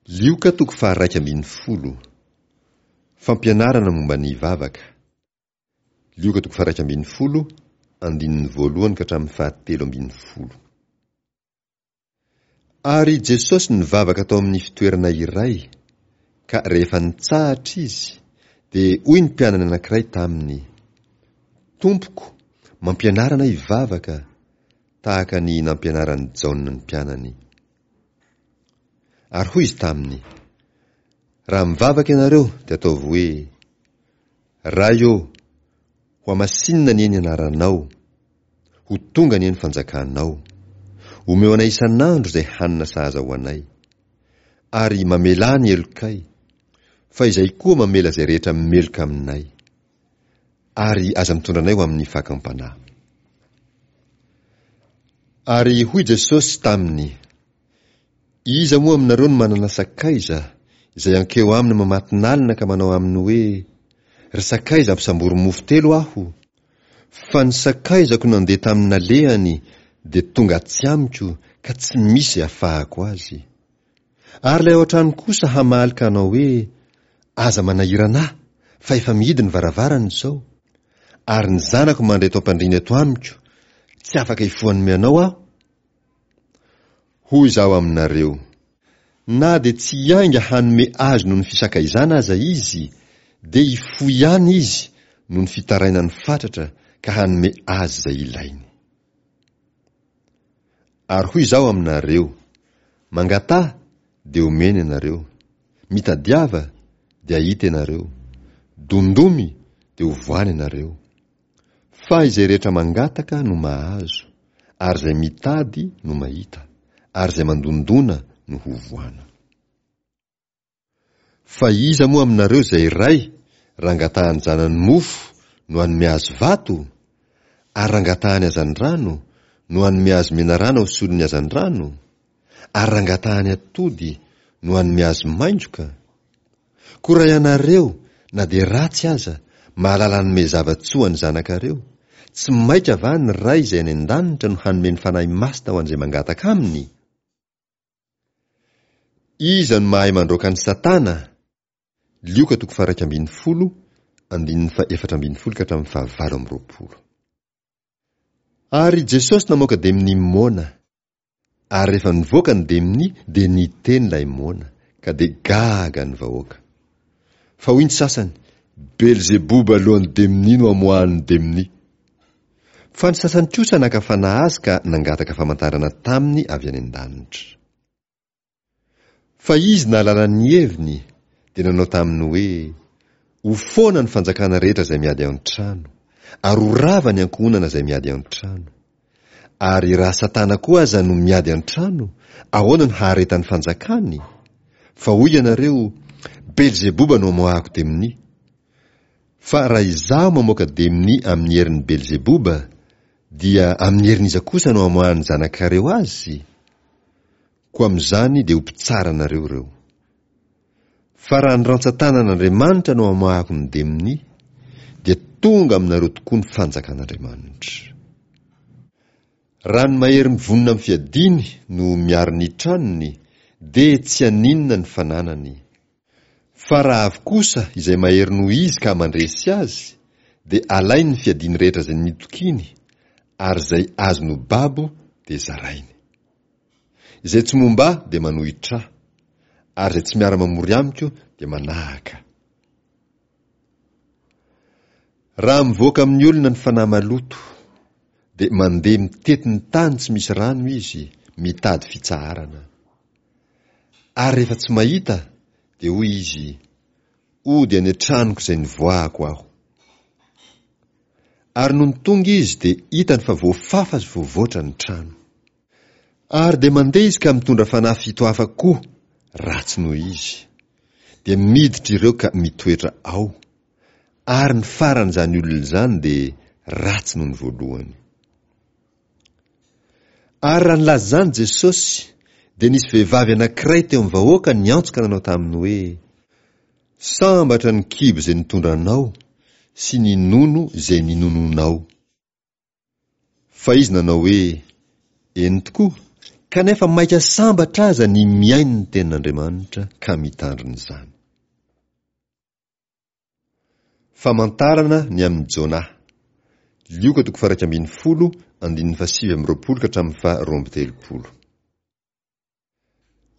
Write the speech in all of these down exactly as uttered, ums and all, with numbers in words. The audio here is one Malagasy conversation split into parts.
Lioka toko faha-iraika ambin'ny folo. Fampianarana momba ny vavaka. Lioka toko faha-iraika ambin'ny folo, andininy voalohany ka hatramin'ny fahatelo ambin'ny folo. Ary Jesosy nivavaka tao amin'ny fitoerana iray, ka rehefa nitsahatra Izy, dia hoy ny mpianany anankiray taminy, Tompoko, mampianara anay hivavaka, tahaka ny nampianaran'i Jaona ny mpianany. Ary hoy Izy taminy, Raha mivavaka ianareo, dia ataovy hoe, Ray ô, hohamasinina anie ny anaranao, ho tonga anie ny fanjakanao. Omeo anay isan'andro izay hanina sahaza ho anay. Ary mamelà ny helokay, fa izay koa mamela izay rehetra meloka aminay. Ary aza mitondra anay ho amin'ny fakam-panahy. Ary hoy Jesosy taminy, Iza moa aminareo no manana sakaiza, izay hankeo aminy mamatinalina ka manao aminy hoe, Ry sakaiza ampisambory mofo telo aho, fa ny sakaizako nandeha tamin'ny nalehany dia tonga atsy amiko ka tsy misy izay afahako azy. Ary ilay ao an-trano kosa hamaly ka hanao hoe, Aza manahirana ahy, fa efa mihidy ny varavarana izao, ary ny zanako mandry eto am-pandriana eto amiko, tsy afaka hifoha hanome anao aho. Hoy izaho aminareo, na dia tsy hiainga hanome azy noho ny fisakaizana aza izy, dia hifoha ihany izy noho ny fitarainany fatratra ka hanome azy izay ilainy. Ary hoy izaho aminareo, mangataha, dia homena ianareo, mitadiava, dia hahita ianareo, dondomy, dia hovohana ianareo. Fa izay rehetra mangataka no mahazo, ary izay mitady no mahita, ary izay mandondona no hovohana. Fa iza moa aminareo izay ray, raha angatahan'ny zanany mofo, no hanome azy vato? Ary raha angatahany hazandrano, no hanome azy menarana ho solon'ny hazandrano? Ary raha angatahany atody, no hanome azy maingoka? Koa raha ianareo, na dia ratsy aza, mahalala hanome zava-tsoa ny zanakareo, tsy maika va ny Ray izay any an-danitra no hanome ny Fanahy Masina ho an'izay mangataka Aminy? Iza no mahay mandroaka an'i Satana? Lioka toko faha-iraika ambin'ny folo, andininy faha-efatra ambin'ny folo ka hatramin'ny fahavalo amby roapolo. Ary Jesosy namoaka demonia moana. Ary rehefa nivoaka ny demonia dia niteny ilay moana, ka dia gaga ny vahoaka. Fa hoy ny sasany, Belzeboba lohan'ny demonia no amoahan'ny demonia. Fa ny sasany kosa naka fanahy azy ka nangataka famantarana taminy avy any an-danitra. Fa izy nahalala ny heviny, dia nanao taminy hoe, Ho foana ny fanjakana rehetra izay miady an-trano, ary ho rava ny ankohonana izay miady an-trano. Ary raha Satana koa aza no miady an-trano, ahoana no haharetan'ny fanjakany? Fa hoy ianareo, Belzeboba no amoahako demonia. Fa raha izaho mamoaka demonia amin'ny herin'i Belzeboba, dia amin'ny herin'iza kosa no amoahan'ny zanakareo azy? Koa amin'izany dia ho mpitsara anareo ireo. Fa raha ny rantsan-tanan'Andriamanitra no amoahako ny demonia, dia tonga aminareo tokoa ny fanjakan'Andriamanitra. Raha ny mahery mivonona amin'ny fiadiany no miaro ny tranony, dia tsy haninona ny fananany. Fa raha avy kosa izay mahery noho izy ka mandresy azy, dia alainy ny fiadiany rehetra izay nitokiany, ary izay azony ho babo dia zarainy. Izay tsy momba ahy dia manohitra ahy, ary izay tsy miara-mamory amiko dia manahaka. Raha mivoaka amin'ny olona ny fanahy maloto, dia mandeha mitety ny tany tsy misy rano izy, mitady fitsaharana. Ary rehefa tsy mahita, dia hoy izy, Hody any an-tranoko izay nivoahako aho. Ary nony tonga izy dia hitany fa voafafa sy voavoatra ny trano. Ary dia mandeha izy ka mitondra fanahy fito hafa koa, ratsy noho izy. Dia miditra ireo ka mitoetra ao. Ary ny faran'izany olona izany dia ratsy noho ny voalohany. Ary raha nilaza izany Jesosy, dia nisy vehivavy anankiray teo amin'ny vahoaka niantso ka nanao taminy hoe, Sambatra ny kibo izay nitondra anao sy ny nono izay ninononao. Fa izy nanao hoe, Eny tokoa, Kanefa maika sambatra aza ny mihaino ny tenin'Andriamanitra ka mitandrina izany. Famantarana ny amin'i Jonah. Lioka toko faha iraika ambin'ny folo, andininy fahasivy amby roapolo ka hatramin'ny faha roa amby telopolo.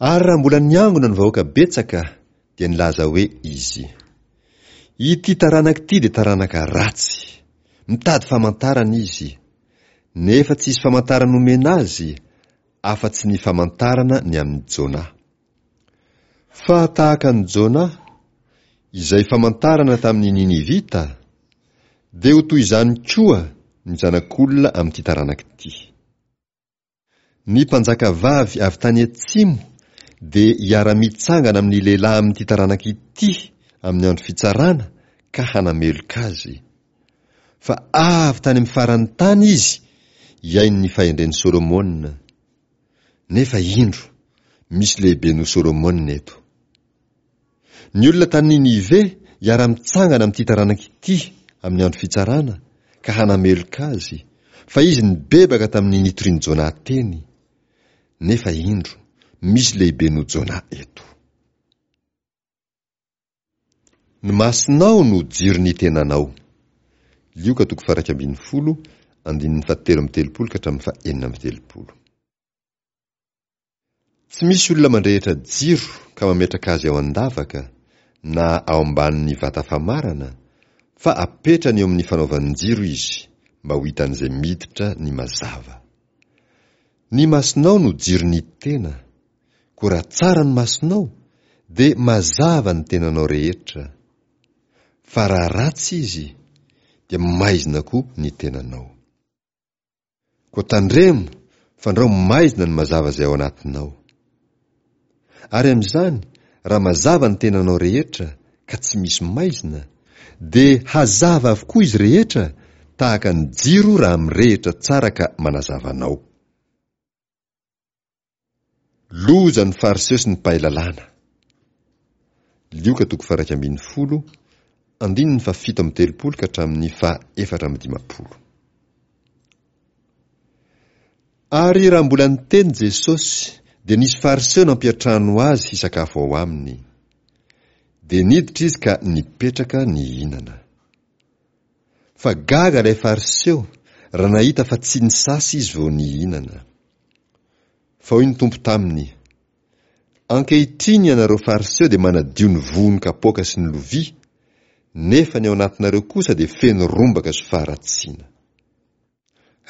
Ary raha mbola niangona ny vahoaka betsaka, dia nilaza hoe izy, Ity taranaka ity dia taranaka ratsy, mitady famantarana izy, nefa tsy hisy famantarana omena azy, afa-tsy ny famantarana ny amin'i Jonah. Fa tahaka an'i Jonah, izay famantarana tamin'ny Ninivita, dia ho toy izany koa ny Zanak'olona amin'ity taranaka ity. Ny mpanjakavavy avy tany atsimo dia hiara-mitsangana amin'ny lehilahy amin'ity taranaka ity amin'ny andro fitsarana ka hanameloka azy. Fa avy tany amin'ny faran'ny tany izy hihaino ny fahendren'i Solomona. Nefa indro, misy lehibe noho Solomona eto. Ny olona tany Ninive hiara-mitsangana amin'ity taranaka ity amin'ny andro fitsarana ka hanameloka azy, fa izy nibebaka tamin'ny nitorian'i Jonah teny. Nefa indro, misy lehibe noho Jonah eto. Ny masonao no jiron'ny tenanao. Lioka toko faha-iraika ambin'ny folo, andininy fahatelo amby telopolo ka hatramin'ny fahenina amby telopolo. Tsy misy olona mandrehitra jiro ka mametraka azy ao an-davaka, na ao ambanin'ny vata famarana, fa apetrany eo amin'ny fanaovan-jiro izy, mba ho hitan'izay miditra ny mazava. Ny masonao no jiron'ny tena, koa raha tsara ny masonao, dia mazava ny tenanao rehetra, fa raha ratsy izy, dia maizina koa ny tenanao. Koa tandremo fandrao maizina ny mazava izay ao anatinao. Ary amin'izany, raha mazava ny tenanao rehetra ka tsy misy maizina, dia hazava avokoa izy rehetra tahaka ny jiro raha mirehitra tsara ka manazava anao. Loza ny Fariseo sy ny mpahay lalàna. Lioka toko faha-iraika ambin'ny folo, andininy fahafito amby telopolo ka hatramin'ny faha-efatra amby dimampolo. Ary raha mbola niteny Jesosy, dia nisy Fariseo nampiantrano azy hisakafo ao aminy. Dia niditra izy ka nipetraka nihinana. Fa gaga ilay Fariseo raha nahita fa tsy nisasa izy vao nihinana. Fa hoy ny Tompo taminy, Ankehitriny ianareo Fariseo dia manadio ny vohon'ny kapoaka sy ny lovia, nefa ny ao anatinareo kosa dia feno rombaka sy faharatsiana.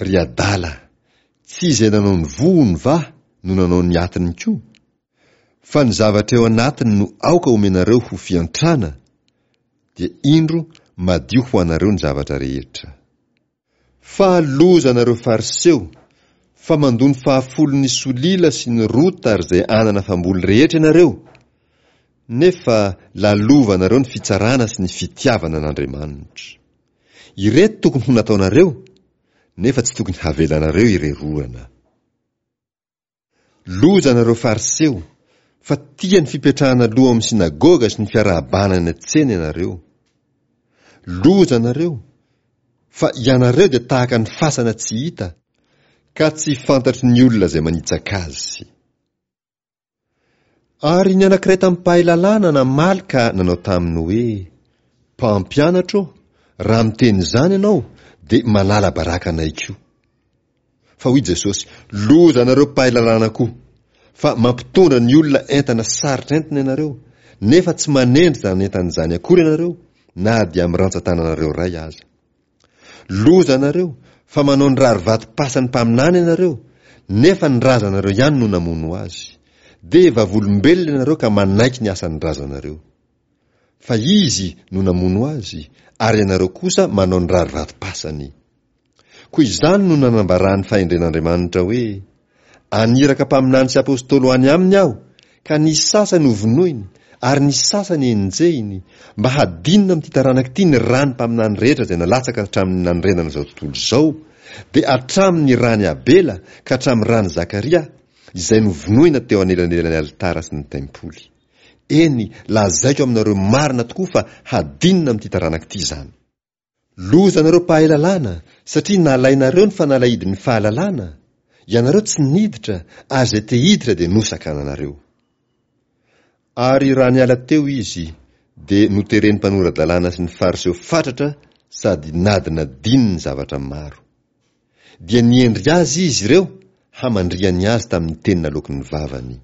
Ry adala, tsy izay nanao ny vohony va no nanao ny atiny koa? Fa ny zavatra eo anatiny no aoka omenareo ho fiantrana, dia indro madio ho anareo ny zavatra rehetra. Fa loza anareo Fariseo, fa mandoa ny fahafolon'ny solila sy ny rota ary izay anana famboly rehetra ianareo, nefa lalovanareo ny fitsarana sy ny fitiavana an'Andriamanitra. Ireto tokony ho nataonareo, nefa tsy tokony havelanareo ireroana. Loza anareo Fariseo, fa tia ny fipetrahana aloha ao amin'ny synagoga sy ny fiarahabana any an-tsena ianareo. Loza anareo, fa ianareo dia tahaka ny fasana tsy hita, ka tsy fantatry ny olona izay manitsaka azy. Ary ny anankiray tamin'ny mpahay lalàna namaly ka nanao taminy hoe, Mpampianatra ô, raha miteny izany ianao, dia manala baraka anay koa. Fa hoy Jesosy, Loza anareo mpahay lalàna koa, fa mampitondra ny olona entana sarotra entina ianareo, nefa tsy manendry izany entana izany akory ianareo, na dia amin'ny rantsan-tananareo iray aza. Loza anareo, fa manao ny rarivatom-pasan'ny mpaminany ianareo, nefa ny razanareo ihany no namono azy. Dia vavolombelona ianareo ka manaiky ny asan'ny razanareo. Fa izy no namono azy, ary ianareo kosa manao ny rarivatom-pasany. Koa izany no nanambaran'ny fahendren'Andriamanitra hoe, Aniraka mpaminany sy apostoly ho any aminy aho, ka ny sasany hovonoiny, ary ny sasany henjehiny, mba hadinina amin'ity taranaka ity ny ràn'ny mpaminany rehetra izay nalatsaka hatramin'ny nanorenana izao tontolo izao, dia hatramin'ny ràn'i Abela ka hatramin'ny ràn'i Zakaria, izay novonoina teo anelanelan'ny alitara sy ny tempoly. Eny, lazaiko aminareo marina tokoa fa hadinina amin'ity taranaka ity izany. Loza anareo mpahay lalàna, satria nalainareo ny fanalahidin'ny fahalalana, Ianareo tsy niditra, ary izay te hiditra dia nosakananareo. Ary raha niala teo izy, dia noteren'ny mpanora-dalàna sy ny Fariseo fatratra sady nadinadininy ny zavatra maro. Dia niendry azy izy ireo hamandrihany azy tamin'ny teny naloaky ny vavany.